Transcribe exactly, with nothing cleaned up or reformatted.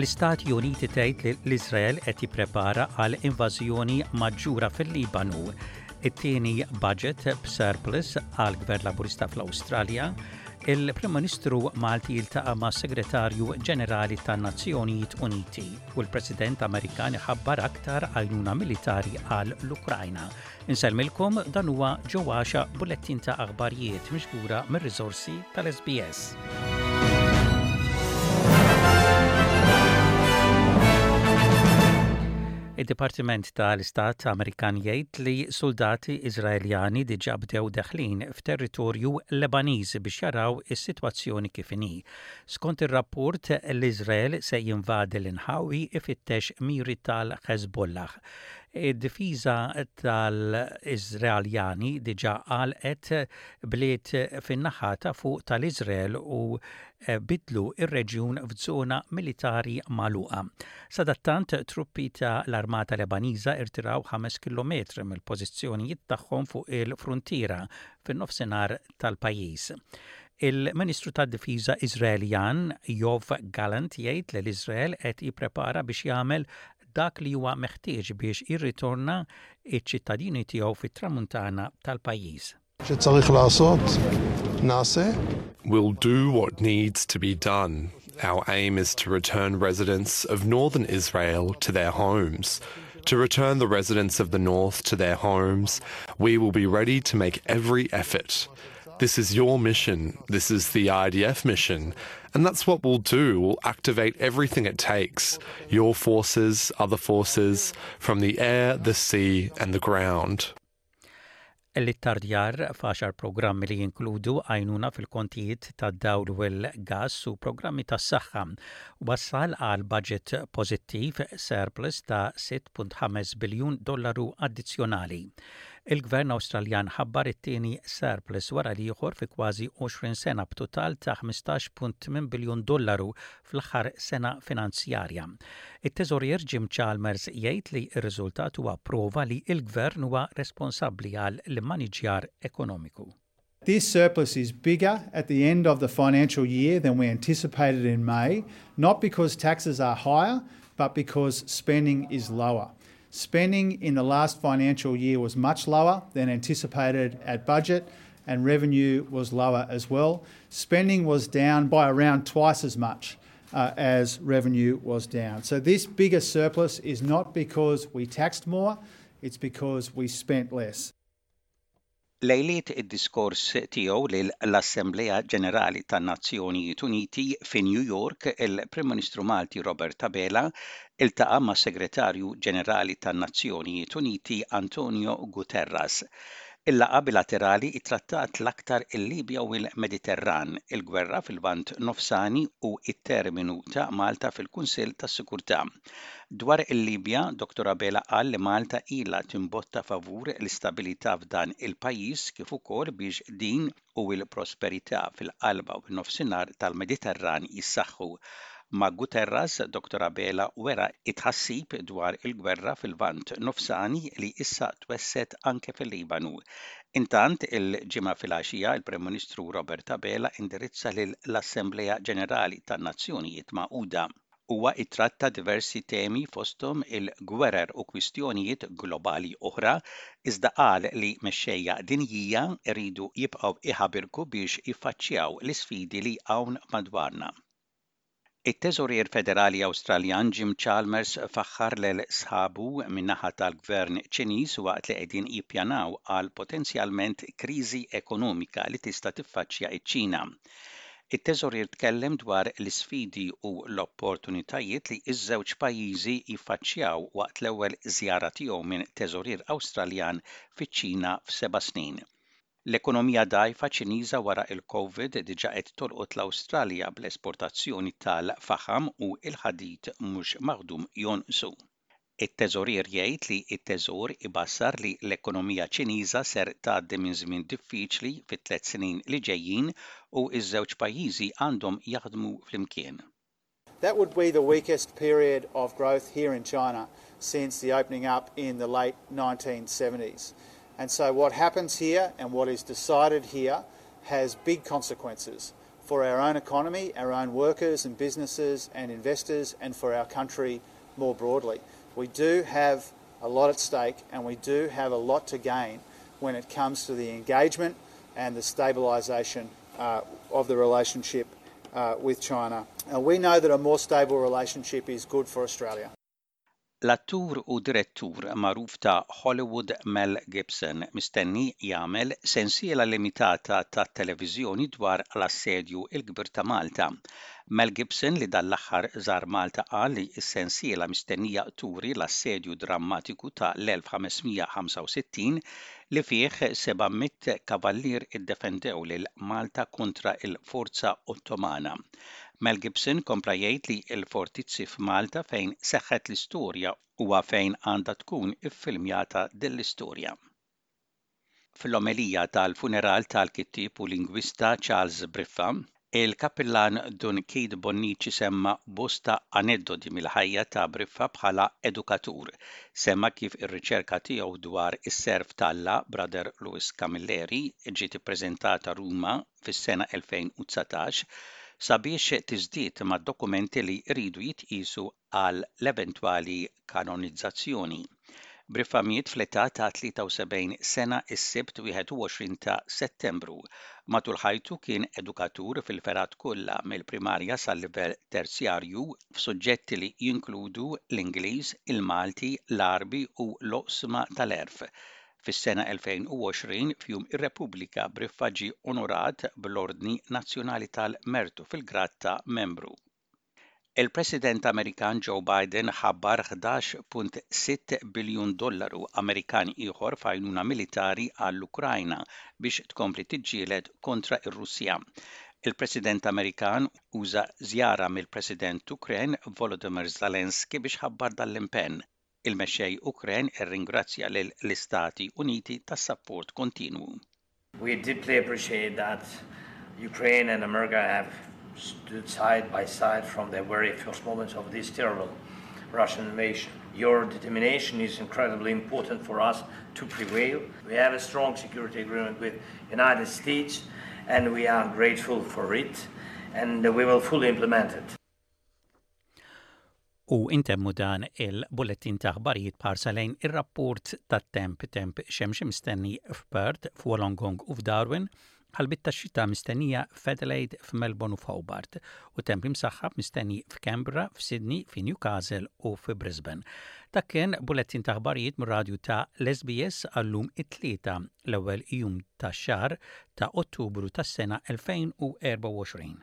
L-Istati Uniti tgħid li l-Iżrael qed jipprepara għal invażjoni maġġura fil-Libanu. It-tieni budget b'surplus għal Gvern Laburista fl-Awstralja, il-Prim Ministru Malti jiltaqa' ma' Segretarju Ġenerali tan-Nazzjonijiet Uniti u l-President Amerikan iħabbar aktar għajnuna militari għal l-Ukrajna. Insellmilkom dan huwa ġewwaxa bullettin ta' aħbarijiet miġbura mir-riżorsi tal-SBS. Id-Dipartiment tal-Istat Amerikan jgħid li soldati Iżraeljani diġà bdew deħlin f'territorju Lebaniż biex jaraw is-sitwazzjoni kif inhi. Skont ir-rapport, l-Iżrael se jinvadi l-inħawi ifittex miri tal-Hezbollah. Id-difiża tal-Iżraeljani diġà għalqet bliet fin-naħa ta' fuq tal-Iżrael u bidlu ir-reġjun f'żona militari magħluqa. Sadattant truppi ta' l-Armata Lebaniża irtiraw ħames kilometri mill-pożizzjonijiet tagħhom fuq il-fruntiera fin-nofsinhar tal-pajjiż. Il-Ministru tad-Difiża Iżraeljan Yoav Gallant jgħid li l-Iżrael qed jipprepara biex jagħmel dak li huwa meħtieġ biex jirritorna iċ-ċittadini tiegħu fit-tramuntana tal-pajjiż. שצריך לעשות, נעשה. We'll do what needs to be done. Our aim is to return residents of northern Israel to their homes. To return the residents of the north to their homes, we will be ready to make every effort. This is your mission. This is the IDF mission. And that's what we'll do. We'll activate everything it takes your forces, other forces, from the air, the sea, and the ground. L-ittardjar f'għaxar programmi li jinkludu għajnuna fil-kontijiet tad-dawl u l-gas u programmi tas-saħħa wassal għal budget pożittiv surplus ta' sitta punt ħames biljun dollaru addizzjonali. Il-Gvern Awstraljan ħabbar it-tieni surplus wara l-ieħor fi kważi għoxrin sena b'total ta' ħmistax punt tmien biljun dollaru fl-aħħar sena finanzjarja. It-Teżorier Jim Chalmers jgħid li r-riżultat huwa prova li l-Gvern huwa responsabbli għal l-immaniġjar ekonomiku. This surplus is bigger at the end of the financial year than we anticipated in May, not because taxes are higher, but because spending is lower. Spending in the last financial year was much lower than anticipated at budget, and revenue was lower as well. Spending was down by around twice as much, uh, as revenue was down. So this bigger surplus is not because we taxed more, it's because we spent less. Lejliet id-diskors tiegħu lill-Assemblea Ġenerali tan-Nazzjonijiet Uniti fi New York, il-Prim Ministru Malti Robert Abela iltaqa' mas-Segretarju Ġenerali tan-Nazzjonijiet Uniti Antonio Guterres. Il-laqgħa bilaterali ittrattat l-aktar il-Libja u l-Mediterran, il-gwerra fil-Lvant Nofsani u it-terminu ta' Malta fil-Kunsill tas-Sigurtà. Dwar il-Libja, Dottor Abela qal li Malta ilha timbotta favur l-istabilità f'dan il-pajjiż kif ukoll biex din u l-prosperità fil-qalba u n-nofsinhar tal-Mediterran jissaħħu. Ma' Guterres, Dottor Abela wera it-tħassib dwar il-gwerra fil-Lvant Nofsani li issa twesset anke fil-Libanu. Intant, il-ġimgħa filgħaxija, il-Prim Ministru Robert Abela indirizza lill-Assemblea Ġenerali tan-Nazzjonijiet Magħquda. Huwa ittratta diversi temi fosthom il-gwerer u kwistjonijiet globali oħra, iżda qal li mexxejja dinjija jridu jibqgħu iħabirku biex jiffaċċjaw l-isfidi li hawn madwarna. It-Teżorier Federali Awstraljan Jim Chalmers faħħar lil sħabu min-naħa tal-Gvern Ċiniż waqt li qegħdin jippjanaw għal potenzjalment kriżi ekonomika li tista' tiffaċċja ċ-Ċina. It-Teżorier tkellem dwar l-isfidi u l-opportunitajiet li ż-żewġ pajjiżi jiffaċċjaw waqt l-ewwel żjara tiegħu minn Teżorier Awstraljan fiċ-Ċina f'seba' snin. L-ekonomija dgħajfa Ċiniża wara il-COVID diġà qed tolqot l-Awstralja bl-esportazzjoni tal-faħam u l-ħadid mhux maħdum jonqsu. It-teżorier jgħid li t-teżor ibassar li l-ekonomija Ċiniża ser tgħaddi minn żmien diffiċli fit-tliet snin li ġejjin u ż-żewġ pajjiżi għandhom jaħdmu flimkien. That would be the weakest period of growth here in China since the opening up in the late nineteen seventies. And so what happens here and what is decided here has big consequences for for our own economy, our own workers and businesses and investors, and for our country more broadly. We do have a lot at stake and we do have a lot to gain when it comes to the engagement and the stabilisation uh, of the relationship uh, with China. Uh, we know that a more stable relationship is good for Australia. L-attur u direttur magħruf ta' Hollywood Mel Gibson mistenni jagħmel sensiela limitata ta' televiżjoni dwar l-assedju il-kbir ta' Malta. Mel Gibson li dan l-aħħar żar Malta qal li s-sensiela mistennija turi l-assedju drammatiku ta' l-elf ħames mija ħamsa u sittin li fih seba' mitt kavallier iddefendew lil Malta kontra il-forza Ottomana. Mel Gibson kompla jgħid li l-fortizzi f'Malta fejn seħħet l-istorja huwa fejn għandha tkun iffilmjata din l-istorja. Fl-omelija tal-funeral tal-kittib u lingwista Charles Briffa, il-kappillan Dun Keith Bonnici semma bosta aneddoti mill-ħajja ta' Briffa bħala edukatur. Semma kif ir-riċerka tiegħu dwar is-serv t'Alla Brother Louis Camilleri ġiet ippreżentata Ruma fis-sena elfejn u dsatax sabiex tiżdied mad-dokumenti li jridu jitqisu għal l-eventwali kanonizzazzjoni. Briffa miet fl-età ta' tlieta u sebgħin sena is-Sibt wieħed u għoxrin ta' Settembru. Matul ħajtu kien edukatur fil-fergħat kollha mill-primarja sal-livell terzjarju f'suġġetti li jinkludu l-Ingliż, il-Malti, l-Għarbi u l-oqsma tal-għerf. Fis-sena elfejn u għoxrin f'Jum ir-Repubblika Briffa ġie onorat bl-Ordni Nazzjonali tal-Mertu fil-grad ta' membru. Il-President Amerikan Joe Biden ħabbar ħdax punt sitta biljun dollaru Amerikan ieħor f'għajnuna militari għall-Ukrajna biex tkompli tiġġieled kontra ir-Russja. Il-President Amerikan uża żjara mill-President Ukren Volodymyr Zelensky biex ħabbar dal-impenn. Il-mexxej Ukren irringrazzja lill-Istati Uniti tas-sapport kontinwu. We deeply appreciate that Ukraine and America have stood side by side from the very first moments of this terrible Russian invasion. Your determination is incredibly important for us to prevail. We have a strong security agreement with United States and we are grateful for it and we will fully implement it. U intemmu dan il-bulletin ta' aħbarijiet b'ħarsa lejn ir-rapport tat-temp. Temp xemx mistenni f'Perth, f'Wollongong u f'Darwin, ħalbiet ta' xita mistennija f'Adelaide, f'Melbourne u f'Hobart, u temp imsaħħab mistenni f'Canberra, f'Sydney, f'Newcastle u f'Brisbane. Dak kien bulletin ta' aħbarijiet mir-radju ta' l-S B S għallum it-Tlieta, l-ewwel jum tax-xahar ta' Ottubru tas-sena elfejn u erbgħa u għoxrin.